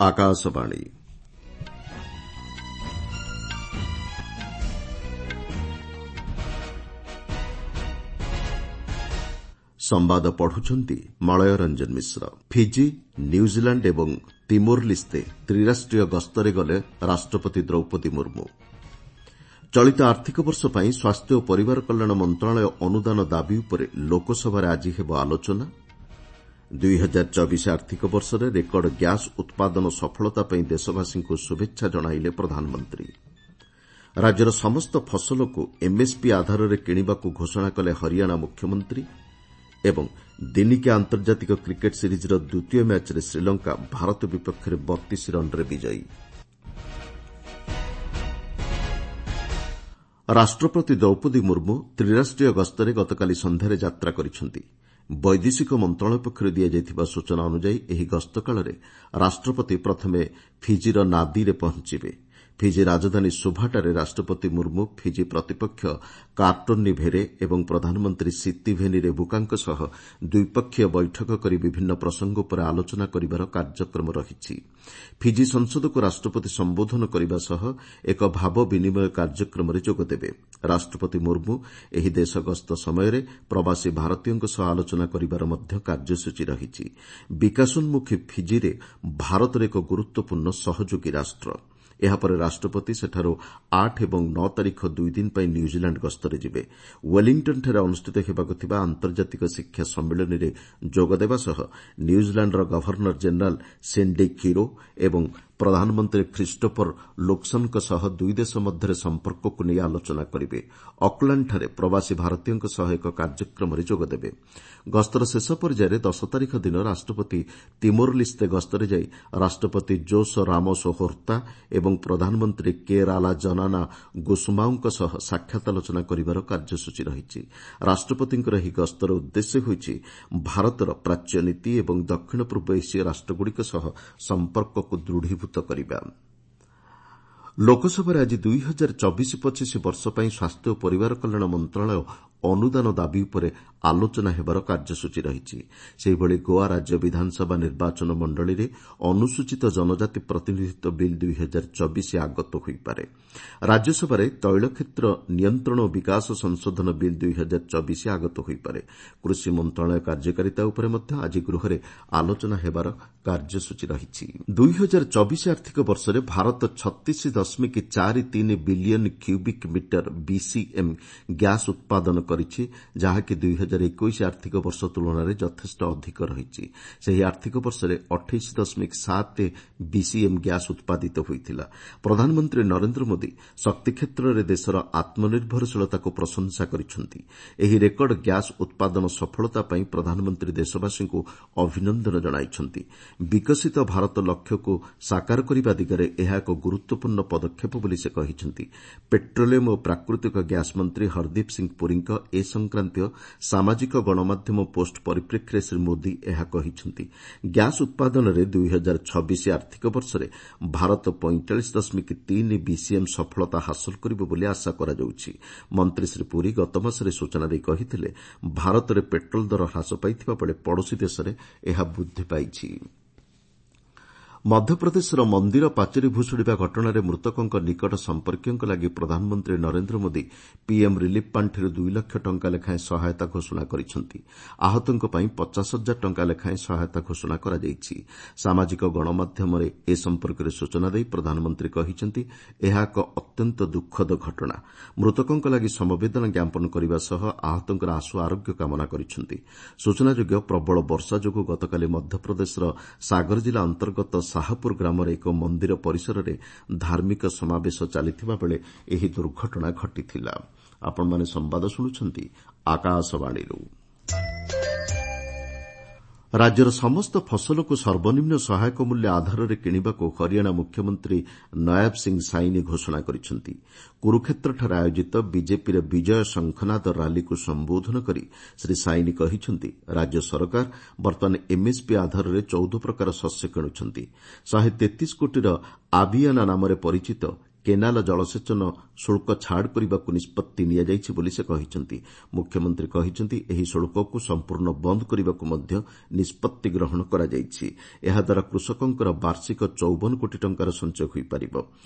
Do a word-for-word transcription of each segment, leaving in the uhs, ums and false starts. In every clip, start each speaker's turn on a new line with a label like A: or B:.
A: ଆକାଶବାଣୀ। ସମ୍ବାଦ ପଢୁଛନ୍ତି ମଳୟ Ranjan Mishra. Fiji, New Zealand ଏବଂ ତିମୋର ଲିସ୍ତେ ତ୍ରିରାଷ୍ଟ୍ରୀୟ ଗସ୍ତରେ ଗଲେ ରାଷ୍ଟ୍ରପତି ଦ୍ରୌପଦୀ ମୁର୍ମୁ। ଚଳିତ ଆର୍ଥିକ ବର୍ଷ ପାଇଁ ସ୍ୱାସ୍ଥ୍ୟ ଓ ପରିବାର କଲ୍ୟାଣ ମନ୍ତ୍ରଣାଳୟ ଅନୁଦାନ ଦାବି ଉପରେ ଲୋକସଭାରେ ଆଜି ହେବ ଆଲୋଚନା। ଦୁଇ ହଜାର ଚବିଶ ଆର୍ଥିକ ବର୍ଷରେ ରେକର୍ଡ ଗ୍ୟାସ୍ ଉତ୍ପାଦନ ସଫଳତା ପାଇଁ ଦେଶବାସୀଙ୍କୁ ଶୁଭେଚ୍ଛା ଜଣାଇଲେ ପ୍ରଧାନମନ୍ତ୍ରୀ। ରାଜ୍ୟର ସମସ୍ତ ଫସଲକୁ ଏମ୍ଏସ୍ପି ଆଧାରରେ କିଣିବାକୁ ଘୋଷଣା କଲେ ହରିୟାଣା ମୁଖ୍ୟମନ୍ତ୍ରୀ ଏବଂ ଦିନିକିଆ ଆନ୍ତର୍ଜାତିକ କ୍ରିକେଟ୍ ସିରିଜ୍ର ଦ୍ୱିତୀୟ ମ୍ୟାଚ୍ରେ ଶ୍ରୀଲଙ୍କା ଭାରତ ବିପକ୍ଷରେ ବତିଶ ରନ୍ରେ ବିଜୟୀ। ରାଷ୍ଟ୍ରପତି ଦ୍ରୌପଦୀ ମୁର୍ମୁ ତ୍ରିରାଷ୍ଟ୍ରୀୟ ଗସ୍ତରେ ଗତକାଲି ସନ୍ଧ୍ୟାରେ ଯାତ୍ରା କରିଛନ୍ତି। ବୈଦେଶିକ ମନ୍ତ୍ରଣାଳୟ ପକ୍ଷରୁ ଦିଆଯାଇଥିବା ସୂଚନା ଅନୁଯାୟୀ ଏହି ଗସ୍ତ କାଳରେ ରାଷ୍ଟ୍ରପତି ପ୍ରଥମେ ଫିଜିର ନାଦିରେ ପହଞ୍ଚିବେ। ଫିଜି ରାଜଧାନୀ ସୁଭାଠାରେ ରାଷ୍ଟ୍ରପତି ମୁର୍ମୁ ଫିଜି ପ୍ରତିପକ୍ଷ କାର୍ଟୋନି ଭେରେ ଏବଂ ପ୍ରଧାନମନ୍ତ୍ରୀ ସିତିଭେନି ରେବୁକାଙ୍କ ସହ ଦ୍ୱିପକ୍ଷୀୟ ବୈଠକ କରି ବିଭିନ୍ନ ପ୍ରସଙ୍ଗ ଉପରେ ଆଲୋଚନା କରିବାର କାର୍ଯ୍ୟକ୍ରମ ରହିଛି। ଫିଜି ସଂସଦକୁ ରାଷ୍ଟ୍ରପତି ସମ୍ବୋଧନ କରିବା ସହ ଏକ ଭାବ ବିନିମୟ କାର୍ଯ୍ୟକ୍ରମରେ ଯୋଗଦେବେ। ରାଷ୍ଟ୍ରପତି ମୁର୍ମୁ ଏହି ଦେଶ ଗସ୍ତ ସମୟରେ ପ୍ରବାସୀ ଭାରତୀୟଙ୍କ ସହ ଆଲୋଚନା କରିବାର ମଧ୍ୟ କାର୍ଯ୍ୟସୂଚୀ ରହିଛି। ବିକାଶୋନ୍ମୁଖୀ ଫିଜିରେ ଭାରତର ଏକ ଗୁରୁତ୍ୱପୂର୍ଣ୍ଣ ସହଯୋଗୀ ରାଷ୍ଟ୍ର। ଏହାପରେ ରାଷ୍ଟ୍ରପତି ସେଠାରୁ ଆଠ ଏବଂ ନଅ ତାରିଖ ଦୁଇଦିନ ପାଇଁ ନ୍ୟୁଜିଲାଣ୍ଡ ଗସ୍ତରେ ଯିବେ। ୱେଲିଂଟନ୍ଠାରେ ଅନୁଷ୍ଠିତ ହେବାକୁ ଥିବା ଆନ୍ତର୍ଜାତିକ ଶିକ୍ଷା ସମ୍ମିଳନୀରେ ଯୋଗଦେବା ସହ ନ୍ୟୁଜିଲାଣ୍ଡର ଗଭର୍ଣ୍ଣର ଜେନେରାଲ୍ ସିଣ୍ଡି କିରୋ ଏବଂ ପ୍ରଧାନମନ୍ତ୍ରୀ ଖ୍ରୀଷ୍ଟୋଫର ଲୁକ୍ସନ୍ଙ୍କ ସହ ଦୁଇ ଦେଶ ମଧ୍ୟରେ ସମ୍ପର୍କକୁ ନେଇ ଆଲୋଚନା କରିବେ। ଅକ୍ଲାଣ୍ଡଠାରେ ପ୍ରବାସୀ ଭାରତୀୟଙ୍କ ସହ ଏକ କାର୍ଯ୍ୟକ୍ରମରେ ଯୋଗଦେବେ। ଗସ୍ତର ଶେଷ ପର୍ଯ୍ୟାୟରେ ଦଶ ତାରିଖ ଦିନ ରାଷ୍ଟ୍ରପତି ତିମୋର ଲିସ୍ତେ ଗସ୍ତରେ ଯାଇ ରାଷ୍ଟ୍ରପତି ଜୋସ ରାମୋସ ହୋର୍ତ୍ତା ଏବଂ ପ୍ରଧାନମନ୍ତ୍ରୀ କେ ରାଲା ଜନାନା ଗୁସୁମାଓଙ୍କ ସହ ସାକ୍ଷାତ ଆଲୋଚନା କରିବାର କାର୍ଯ୍ୟସୂଚୀ ରହିଛି। ରାଷ୍ଟ୍ରପତିଙ୍କର ଏହି ଗସ୍ତର ଉଦ୍ଦେଶ୍ୟ ହେଉଛି ଭାରତର ପ୍ରାଚ୍ୟ ନୀତି ଏବଂ ଦକ୍ଷିଣ ପୂର୍ବ ଏସୀୟ ରାଷ୍ଟ୍ରଗୁଡ଼ିକ ସହ ସମ୍ପର୍କକୁ ଦୃଢ଼ୀଭୂତ କରିବା। ଲୋକସଭାରେ ଆଜି ଦୁଇ ହଜାର ଚବିଶ ପଚିଶ ବର୍ଷ ପାଇଁ ସ୍ୱାସ୍ଥ୍ୟ ଓ ପରିବାର କଲ୍ୟାଣ ମନ୍ତ୍ରଣାଳୟ ଅନୁଦାନ ଦାବି ଉପରେ ଆଲୋଚନା ହେବାର କାର୍ଯ୍ୟସୂଚୀ ରହିଛି। ସେହିଭଳି ଗୋଆ ରାଜ୍ୟ ବିଧାନସଭା ନିର୍ବାଚନ ମଣ୍ଡଳୀରେ ଅନୁସୂଚିତ ଜନଜାତି ପ୍ରତିନିଧିତ୍ୱ ବିଲ୍ ଦୁଇ ହଜାର ଚବିଶ ଆଗତ ହୋଇପାରେ। ରାଜ୍ୟସଭାରେ ତୈଳ କ୍ଷେତ୍ର ନିୟନ୍ତ୍ରଣ ଓ ବିକାଶ ସଂଶୋଧନ ବିଲ୍ ଦୁଇ ହଜାର ଚବିଶ ଆଗତ ହୋଇପାରେ। କୃଷି ମନ୍ତ୍ରଣାଳୟ କାର୍ଯ୍ୟକାରିତା ଉପରେ ମଧ୍ୟ ଆଜି ଗୃହରେ ଆଲୋଚନା ହେବାର କାର୍ଯ୍ୟସୂଚୀ ରହିଛି। ଦୁଇ ହଜାର ଚବିଶ ଆର୍ଥିକ ବର୍ଷରେ ଭାରତ ଛତିଶ ଦଶମିକ ଚାରି ତିନି billion cubic metre BCM gas ଉତ୍ପାଦନ କରିଛି, ଯାହାକି ଦୁଇ ହଜାର ଏକୋଇଶ ଆର୍ଥିକ ବର୍ଷ ତୁଳନାରେ ଯଥେଷ୍ଟ ଅଧିକ ରହିଛି। ସେହି ଆର୍ଥିକ ବର୍ଷରେ ଅଠେଇଶ ଦଶମିକ ସାତ ବିସିଏମ୍ ଗ୍ୟାସ୍ ଉତ୍ପାଦିତ ହୋଇଥିଲା। ପ୍ରଧାନମନ୍ତ୍ରୀ ନରେନ୍ଦ୍ର ମୋଦି ଶକ୍ତି କ୍ଷେତ୍ରରେ ଦେଶର ଆତ୍ମନିର୍ଭରଶୀଳତାକୁ ପ୍ରଶଂସା କରିଛନ୍ତି। ଏହି ରେକର୍ଡ ଗ୍ୟାସ୍ ଉତ୍ପାଦନ ସଫଳତା ପାଇଁ ପ୍ରଧାନମନ୍ତ୍ରୀ ଦେଶବାସୀଙ୍କୁ ଅଭିନନ୍ଦନ ଜଣାଇଛନ୍ତି। ବିକଶିତ ଭାରତ ଲକ୍ଷ୍ୟକୁ ସାକାର କରିବା ଦିଗରେ ଏହା ଏକ ଗୁରୁତ୍ୱପୂର୍ଣ୍ଣ ପଦକ୍ଷେପ ବୋଲି ସେ କହିଛନ୍ତି। ପେଟ୍ରୋଲିୟମ୍ ଓ ପ୍ରାକୃତିକ ଗ୍ୟାସ୍ ମନ୍ତ୍ରୀ ହରଦୀପ ସିଂ ପୁରୀଙ୍କ ଏ ସଂକ୍ରାନ୍ତୀୟ ସାମାଜିକ ଗଣମାଧ୍ୟମ ପୋଷ୍ଟ ପରିପ୍ରେକ୍ଷୀରେ ଶ୍ରୀ ମୋଦି ଏହା କହିଛନ୍ତି। ଗ୍ୟାସ୍ ଉତ୍ପାଦନରେ ଦୁଇ ହଜାର ଛବିଶ ଆର୍ଥିକ ବର୍ଷରେ ଭାରତ ପଇଁଚାଳିଶ ଦଶମିକ ତିନି ବିସିଏମ୍ ସଫଳତା ହାସଲ କରିବ ବୋଲି ଆଶା କରାଯାଉଛି। ମନ୍ତ୍ରୀ ଶ୍ରୀ ପୁରୀ ଗତମାସରେ ସୂଚନା ଦେଇ କହିଥିଲେ, ଭାରତରେ ପେଟ୍ରୋଲ ଦର ହ୍ରାସ ପାଇଥିବା ବେଳେ ପଡ଼ୋଶୀ ଦେଶରେ ଏହା ବୃଦ୍ଧି ପାଇଛି। ମଧ୍ୟପ୍ରଦେଶର ମନ୍ଦିର ପାଚେରୀ ଭୁଶୁଡ଼ିବା ଘଟଣାରେ ମୃତକଙ୍କ ନିକଟ ସମ୍ପର୍କୀୟଙ୍କ ଲାଗି ପ୍ରଧାନମନ୍ତ୍ରୀ ନରେନ୍ଦ୍ର ମୋଦି ପିଏମ୍ ରିଲିଫ୍ ପାଣ୍ଠିରୁ ଦୁଇ ଲକ୍ଷ ଟଙ୍କା ଲେଖାଏଁ ସହାୟତା ଘୋଷଣା କରିଛନ୍ତି। ଆହତଙ୍କ ପାଇଁ ପଚାଶ ହଜାର ଟଙ୍କା ଲେଖାଏଁ ସହାୟତା ଘୋଷଣା କରାଯାଇଛି। ସାମାଜିକ ଗଣମାଧ୍ୟମରେ ଏ ସମ୍ପର୍କରେ ସୂଚନା ଦେଇ ପ୍ରଧାନମନ୍ତ୍ରୀ କହିଛନ୍ତି, ଏହା ଏକ ଅତ୍ୟନ୍ତ ଦୁଃଖଦ ଘଟଣା। ମୃତକଙ୍କ ଲାଗି ସମବେଦନା ଜ୍ଞାପନ କରିବା ସହ ଆହତଙ୍କର ଆଶୁ ଆରୋଗ୍ୟ କାମନା କରିଛନ୍ତି। ସୂଚନାଯୋଗ୍ୟ, ପ୍ରବଳ ବର୍ଷା ଯୋଗୁଁ ଗତକାଲି ମଧ୍ୟପ୍ରଦେଶର ସାଗର ଜିଲ୍ଲା ଅନ୍ତର୍ଗତ ଶାହପୁର ଗ୍ରାମରେ ଏକ ମନ୍ଦିର ପରିସରରେ ଧାର୍ମିକ ସମାବେଶ ଚାଲିଥିବା ବେଳେ ଏହି ଦୁର୍ଘଟଣା ଘଟିଥିଲା। ଆପଣମାନେ ସମ୍ବାଦ ଶୁଣୁଛନ୍ତି ଆକାଶବାଣୀରୁ। ରାଜ୍ୟର ସମସ୍ତ ଫସଲକୁ ସର୍ବନିମ୍ନ ସହାୟକ ମୂଲ୍ୟ ଆଧାରରେ କିଣିବାକୁ ହରିୟାଣା ମୁଖ୍ୟମନ୍ତ୍ରୀ ନୟାବ ସିଂ ସାଇନି ଘୋଷଣା କରିଛନ୍ତି। କୁରୁକ୍ଷେତ୍ରଠାରେ ଆୟୋଜିତ ବିଜେପିର ବିଜୟ ଶଙ୍ଖନାଦ ରାଲିକୁ ସମ୍ବୋଧନ କରି ଶ୍ରୀ ସାଇନି କହିଛନ୍ତି, ରାଜ୍ୟ ସରକାର ବର୍ତ୍ତମାନ ଏମ୍ଏସ୍ପି ଆଧାରରେ ଚଉଦ ପ୍ରକାର ଶସ୍ୟ କିଣୁଛନ୍ତି। ଶହେ ତେତିଶ କୋଟିର ଆବିୟାନା ନାମରେ ପରିଚିତ କେନାଲ ଜଳସେଚନ ଶୁଳ୍କ ଛାଡ଼ କରିବାକୁ ନିଷ୍ପତ୍ତି ନିଆଯାଇଛି ବୋଲି ସେ କହିଛନ୍ତି। ମୁଖ୍ୟମନ୍ତ୍ରୀ କହିଛନ୍ତି, ଏହି ଶୁଳ୍କକୁ ସମ୍ପୂର୍ଣ୍ଣ ବନ୍ଦ କରିବାକୁ ମଧ୍ୟ ନିଷ୍ପତ୍ତି ଗ୍ରହଣ କରାଯାଇଛି। ଏହାଦ୍ୱାରା କୃଷକଙ୍କର ବାର୍ଷିକ ଚଉବନ କୋଟି ଟଙ୍କାର ସଞ୍ଚୟ ହୋଇପାରିବ।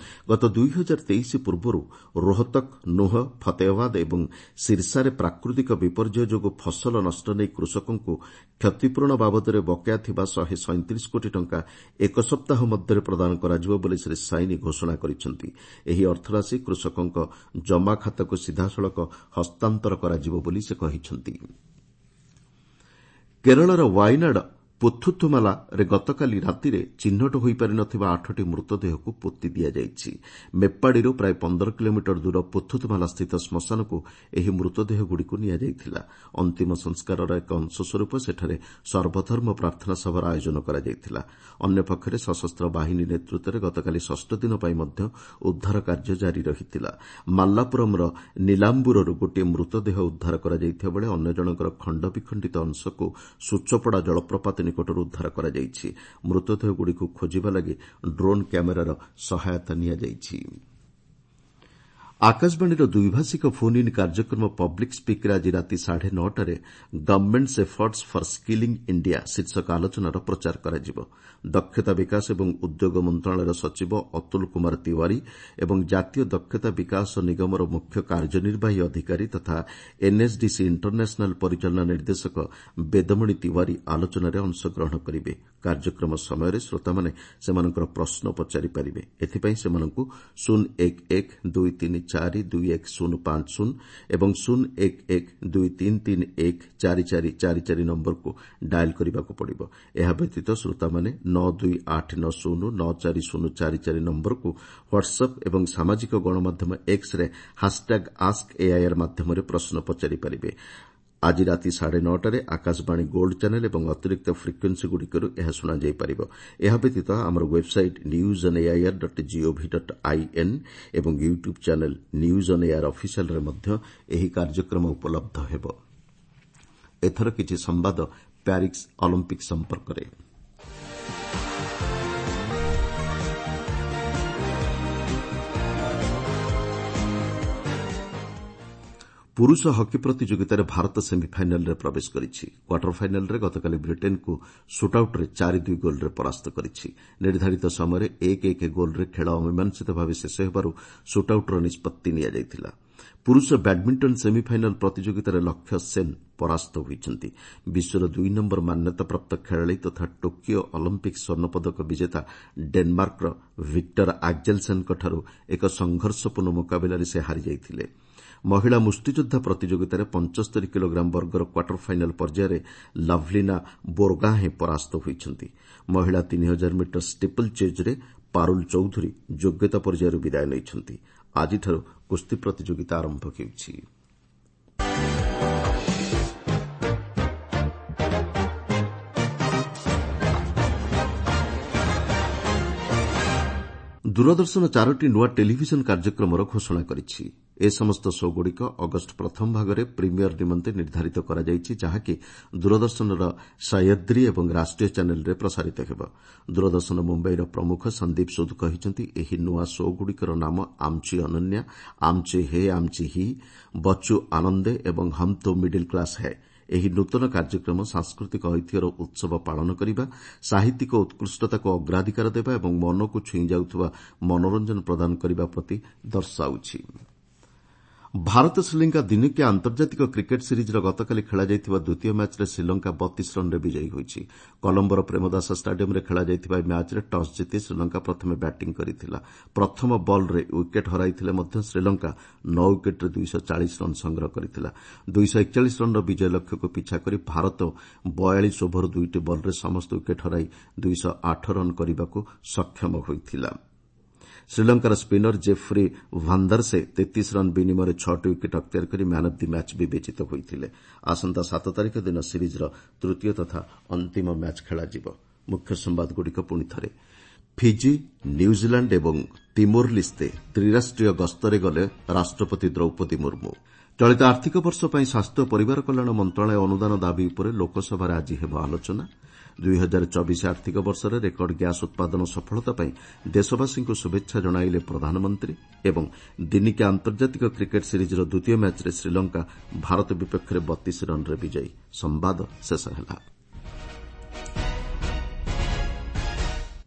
A: ଗତ ଦୁଇ ହଜାର ତେଇଶ ପୂର୍ବରୁ ରୋହତକ, ନୁହ, ଫତେହାବାଦ ଏବଂ ସିର୍ସାରେ ପ୍ରାକୃତିକ ବିପର୍ଯ୍ୟୟ ଯୋଗୁଁ ଫସଲ ନଷ୍ଟ ନେଇ କୃଷକଙ୍କୁ କ୍ଷତିପୂରଣ ବାବଦରେ ବକେୟା ଥିବା ଶହେ ସଇଁତିରିଶ କୋଟି ଟଙ୍କା ଏକ ସପ୍ତାହ ମଧ୍ୟରେ ପ୍ରଦାନ କରାଯିବ ବୋଲି ଶ୍ରୀ ସାଇନି ଘୋଷଣା କରିଛନ୍ତି। ଏହି ଅର୍ଥରାଶି କୃଷକଙ୍କ ଜମାଖାତାକୁ ସିଧାସଳଖ ହସ୍ତାନ୍ତର କରାଯିବ ବୋଲି ସେ କହିଛନ୍ତି। କେରଳର ୱାଇନାଡ୍ ପୁଥୁଥୁମାଲାରେ ଗତକାଲି ରାତିରେ ଚିହ୍ନଟ ହୋଇପାରିନଥିବା ଆଠଟି ମୃତଦେହକୁ ପୋତି ଦିଆଯାଇଛି। ମେପ୍ପାଡ଼ିରୁ ପ୍ରାୟ ପନ୍ଦର କିଲୋମିଟର ଦୂର ପୁଥୁଥୁମାଲାସ୍ଥିତ ଶ୍ମଶାନକୁ ଏହି ମୃତଦେହଗୁଡ଼ିକୁ ନିଆଯାଇଥିଲା। ଅନ୍ତିମ ସଂସ୍କାରର ଏକ ଅଂଶସ୍ୱରୂପ ସେଠାରେ ସର୍ବଧର୍ମ ପ୍ରାର୍ଥନା ସଭାର ଆୟୋଜନ କରାଯାଇଥିଲା। ଅନ୍ୟପକ୍ଷରେ ସଶସ୍ତ୍ର ବାହିନୀ ନେତୃତ୍ୱରେ ଗତକାଲି ଷଷ୍ଠ ଦିନ ପାଇଁ ମଧ୍ୟ ଉଦ୍ଧାର କାର୍ଯ୍ୟ ଜାରି ରହିଥିଲା। ମାଲ୍ଲାପୁରମ୍ର ନୀଲାମ୍ବୁରରୁ ଗୋଟିଏ ମୃତଦେହ ଉଦ୍ଧାର କରାଯାଇଥିବା ବେଳେ ଅନ୍ୟ ଜଣଙ୍କର ଖଣ୍ଡବିଖଣ୍ଡିତ ଅଂଶକୁ ସୁଚପଡ଼ା ଜଳପ୍ରପାତ ନିକଟରୁ ଉଦ୍ଧାର କରାଯାଇଛି। ମୃତଦେହଗୁଡ଼ିକୁ ଖୋଜିବା ଲାଗି ଡ୍ରୋନ୍ କ୍ୟାମେରାର ସହାୟତା ନିଆଯାଇଛି। ଆକାଶବାଣୀର ଦ୍ୱିଭାଷିକ ଫୋନ୍ ଇନ୍ କାର୍ଯ୍ୟକ୍ରମ ପବ୍ଲିକ୍ ସ୍ପିକ୍ରେ ଆଜି ରାତି ସାଢ଼େ ନଅଟାରେ government's efforts for skilling India ଶୀର୍ଷକ ଆଲୋଚନାର ପ୍ରଚାର କରାଯିବ। ଦକ୍ଷତା ବିକାଶ ଏବଂ ଉଦ୍ୟୋଗ ମନ୍ତ୍ରଣାଳୟର ସଚିବ ଅତୁଲ କୁମାର ତିୱାରୀ ଏବଂ ଜାତୀୟ ଦକ୍ଷତା ବିକାଶ ନିଗମର ମୁଖ୍ୟ କାର୍ଯ୍ୟନିର୍ବାହୀ ଅଧିକାରୀ ତଥା ଏନ୍ଏସ୍ଡିସି ଇଣ୍ଟରନ୍ୟାସନାଲ୍ ପରିଚାଳନା ନିର୍ଦ୍ଦେଶକ ବେଦମଣି ତିୱାରୀ ଆଲୋଚନାରେ ଅଂଶଗ୍ରହଣ କରିବେ। କାର୍ଯ୍ୟକ୍ରମ ସମୟରେ ଶ୍ରୋତାମାନେ ସେମାନଙ୍କର ପ୍ରଶ୍ନ ପଚାରିପାରିବେ। ଏଥିପାଇଁ ସେମାନଙ୍କୁ ଶୂନ ଏକ ଏକ ଦୁଇ ତିନି ଚାରି ଦୁଇ ଏକ ଶୂନ ପାଞ୍ଚ ଶୂନ ଏବଂ ଶୂନ ଏକ ଏକ ଦୁଇ ତିନି ତିନି ଏକ ଚାରି ଚାରି ଚାରି ଚାରି ନମ୍ବରକୁ ଡାଏଲ୍ କରିବାକୁ ପଡ଼ିବ। ଏହା ବ୍ୟତୀତ ଶ୍ରୋତାମାନେ ନଅ ଦୁଇ ଆଠ ନଅ ଶୂନ ନଅ ଚାରି ଶୂନ ଚାରି ଚାରି ନମ୍ବରକୁ ହ୍ୱାଟ୍ସଆପ୍ ଏବଂ ସାମାଜିକ ଗଣମାଧ୍ୟମ ଏକ୍ସରେ ହାସ୍ଟ୍ୟାଗ୍ ଆସ୍କ ଏଆଇଆର୍ ମାଧ୍ୟମରେ ପ୍ରଶ୍ନ ପଚାରିପାରିବେ। ଆଜି ରାତି ସାଢ଼େ ନଅଟାରେ ଆକାଶବାଣୀ ଗୋଲ୍ଡ ଚ୍ୟାନେଲ୍ ଏବଂ ଅତିରିକ୍ତ ଫ୍ରିକ୍ୱେନ୍ସିଗୁଡ଼ିକରୁ ଏହା ଶୁଣାଯାଇପାରିବ। ଏହା ବ୍ୟତୀତ ଆମର website news on AIR dot gov dot in ଏବଂ YouTube channel news on AIR ଅଫିସିଆଲ୍ରେ ମଧ୍ୟ ଏହି କାର୍ଯ୍ୟକ୍ରମ ଉପଲବ୍ଧ ହେବ। ଏଥର କିଛି ସମ୍ବାଦ ପ୍ୟାରିସ୍ ଅଲିମ୍ପିକ୍ ସମ୍ପର୍କରେ। ପୁରୁଷ ହକି ପ୍ରତିଯୋଗିତାରେ ଭାରତ ସେମିଫାଇନାଲ୍ରେ ପ୍ରବେଶ କରିଛି। କ୍ୱାର୍ଟର ଫାଇନାଲ୍ରେ ଗତକାଲି ବ୍ରିଟେନ୍କୁ ସୁଟ୍ଆଉଟ୍ରେ ଚାରି ଦୁଇ ଗୋଲ୍ରେ ପରାସ୍ତ କରିଛି। ନିର୍ଦ୍ଧାରିତ ସମୟରେ ଏକ ଏକ ଗୋଲ୍ରେ ଖେଳ ଅମୀମାଂସିତ ଭାବେ ଶେଷ ହେବାରୁ ସୁଟ୍ଆଉଟ୍ର ନିଷ୍ପତ୍ତି ନିଆଯାଇଥିଲା। ପୁରୁଷ ବ୍ୟାଡ୍ମିଣ୍ଟନ ସେମିଫାଇନାଲ୍ ପ୍ରତିଯୋଗିତାରେ ଲକ୍ଷ୍ୟ ସେନ୍ ପରାସ୍ତ ହୋଇଛନ୍ତି। ବିଶ୍ୱର ଦୁଇ ନମ୍ବର ମାନ୍ୟତାପ୍ରାପ୍ତ ଖେଳାଳି ତଥା ଟୋକିଓ ଅଲିମ୍ପିକ୍ସ ସ୍ୱର୍ଣ୍ଣପଦକ ବିଜେତା ଡେନ୍ମାର୍କର ଭିକ୍ଟର ଆକ୍ଜେଲସେନ୍ଙ୍କଠାରୁ ଏକ ସଂଘର୍ଷପୂର୍ଣ୍ଣ ମୁକାବିଲାରେ ସେ ହାରିଯାଇଥିଲେ। ମହିଳା ମୁଷ୍ଟିଯୋଦ୍ଧା ପ୍ରତିଯୋଗିତାରେ ପଞ୍ଚସ୍ତରି କିଲୋଗ୍ରାମ ବର୍ଗର କ୍ୱାର୍ଟର ଫାଇନାଲ୍ ପର୍ଯ୍ୟାୟରେ ଲଭ୍ଲିନା ବୋର୍ଗାହେଁ ପରାସ୍ତ ହୋଇଛନ୍ତି। ମହିଳା ତିନି ହଜାର ମିଟର ଷ୍ଟିପଲ୍ ଚେଜ୍ରେ ପାରୁଲ୍ ଚୌଧୁରୀ ଯୋଗ୍ୟତା ପର୍ଯ୍ୟାୟରୁ ବିଦାୟ ନେଇଛନ୍ତି। ଆଜିଠାରୁ କୁସ୍ତି ପ୍ରତିଯୋଗିତା ଆରମ୍ଭ ହେଉଛି। ଦୂରଦର୍ଶନ ଚାରୋଟି ନୂଆ ଟେଲିଭିଜନ କାର୍ଯ୍ୟକ୍ରମର ଘୋଷଣା କରିଛି। ଏ ସମସ୍ତ ଶୋ'ଗୁଡ଼ିକ ଅଗଷ୍ଟ ପ୍ରଥମ ଭାଗରେ ପ୍ରିମିୟର ନିମନ୍ତେ ନିର୍ଦ୍ଧାରିତ କରାଯାଇଛି, ଯାହାକି ଦୂରଦର୍ଶନର ସହ୍ୟାଦ୍ରି ଏବଂ ରାଷ୍ଟ୍ରୀୟ ଚ୍ୟାନେଲ୍ରେ ପ୍ରସାରିତ ହେବ। ଦୂରଦର୍ଶନ ମୁମ୍ବାଇର ପ୍ରମୁଖ ସନ୍ଦୀପ ସୁଦ୍ କହିଛନ୍ତି, ଏହି ନୂଆ ଶୋ'ଗୁଡ଼ିକର ନାମ ଆମ୍ଚି ଅନନ୍ୟା, ଆମ୍ଚି ହେ ଆମ୍ଚି ହି, ବଚ୍ଚୁ ଆନନ୍ଦେ ଏବଂ ହମ୍ ତୋ ମିଡିଲ୍ କ୍ଲାସ୍ ହୈ। ଏହି ନୂତନ କାର୍ଯ୍ୟକ୍ରମ ସାଂସ୍କୃତିକ ଐତିହ୍ୟର ଉତ୍ସବ ପାଳନ କରିବା, ସାହିତ୍ୟିକ ଉତ୍କୃଷ୍ଟତାକୁ ଅଗ୍ରାଧିକାର ଦେବା ଏବଂ ମନକୁ ଛୁଇଁ ଯାଉଥିବା ମନୋରଞ୍ଜନ ପ୍ରଦାନ କରିବା ପ୍ରତି ଦର୍ଶାଉଛି। ଭାରତ ଶ୍ରୀଲଙ୍କା ଦିନିକିଆ ଆନ୍ତର୍ଜାତିକ କ୍ରିକେଟ୍ ସିରିଜ୍ର ଗତକାଲି ଖେଳାଯାଇଥିବା ଦ୍ୱିତୀୟ ମ୍ୟାଚ୍ରେ ଶ୍ରୀଲଙ୍କା ବତିଶ ରନ୍ରେ ବିଜୟୀ ହୋଇଛି। କଲମ୍ବୋର ପ୍ରେମଦାସ ଷ୍ଟାଡିୟମ୍ରେ ଖେଳାଯାଇଥିବା ଏହି ମ୍ୟାଚ୍ରେ ଟସ୍ ଜିତି ଶ୍ରୀଲଙ୍କା ପ୍ରଥମେ ବ୍ୟାଟିଂ କରିଥିଲା। ପ୍ରଥମ ବଲ୍ରେ ୱିକେଟ୍ ହରାଇଥିଲେ ମଧ୍ୟ ଶ୍ରୀଲଙ୍କା ନଅ ୱିକେଟ୍ରେ ଦୁଇଶହ ଚାଳିଶ ରନ୍ ସଂଗ୍ରହ କରିଥିଲା। ଦୁଇଶହ ଏକଚାଳିଶ ରନ୍ର ବିଜୟ ଲକ୍ଷ୍ୟକୁ ପିଛା କରି ଭାରତ ବୟାଳିଶ ଓଭର ଦୁଇଟି ବଲ୍ରେ ସମସ୍ତ ୱିକେଟ୍ ହରାଇ ଦୁଇଶହ ଆଠ ରନ୍ କରିବାକୁ ସକ୍ଷମ ହୋଇଥିଲା। ଶ୍ରୀଲଙ୍କାର ସ୍ପିନର ଜେଫ୍ରି ଭାନ୍ଦାର୍ସେ ତେତିଶ ରନ୍ ବିନିମୟରେ ଛଅଟି ୱିକେଟ୍ ଅକ୍ତିଆର କରି ମ୍ୟାନ୍ ଅଫ୍ the match ବିବେଚିତ ହୋଇଥିଲେ। ଆସନ୍ତା ସାତ ତାରିଖ ଦିନ ସିରିଜ୍ର ତୃତୀୟ ତଥା ଅନ୍ତିମ ମ୍ୟାଚ୍ ଖେଳାଯିବ। ମୁଖ୍ୟ ସମ୍ବାଦଗୁଡ଼ିକ ପୁଣି ଥରେ। ଫିଜି, ନ୍ୟୁଜିଲାଣ୍ଡ ଏବଂ ତିମୋର ଲିସ୍ତେ ତ୍ରିରାଷ୍ଟ୍ରୀୟ ଗସ୍ତରେ ଗଲେ ରାଷ୍ଟ୍ରପତି ଦ୍ରୌପଦୀ ମୁର୍ମୁ। ଚଳିତ ଆର୍ଥିକ ବର୍ଷ ପାଇଁ ସ୍ୱାସ୍ଥ୍ୟ ଓ ପରିବାର କଲ୍ୟାଣ ମନ୍ତ୍ରଣାଳୟ ଅନୁଦାନ ଦାବି ଉପରେ ଲୋକସଭାରେ ଆଜି ହେବ ଆଲୋଚନା। ଦୁଇ ହଜାର ଚବିଶ ଆର୍ଥିକ ବର୍ଷରେ ରେକର୍ଡ ଗ୍ୟାସ୍ ଉତ୍ପାଦନ ସଫଳତା ପାଇଁ ଦେଶବାସୀଙ୍କୁ ଶୁଭେଚ୍ଛା ଜଣାଇଲେ ପ୍ରଧାନମନ୍ତ୍ରୀ ଏବଂ ଦିନିକିଆ ଆନ୍ତର୍ଜାତିକ କ୍ରିକେଟ୍ ସିରିଜ୍ର ଦ୍ୱିତୀୟ ମ୍ୟାଚ୍ରେ ଶ୍ରୀଲଙ୍କା ଭାରତ ବିପକ୍ଷରେ ବତିଶ ରନ୍ରେ ବିଜୟୀ। ସମ୍ବାଦ ଶେଷ ହେଲା।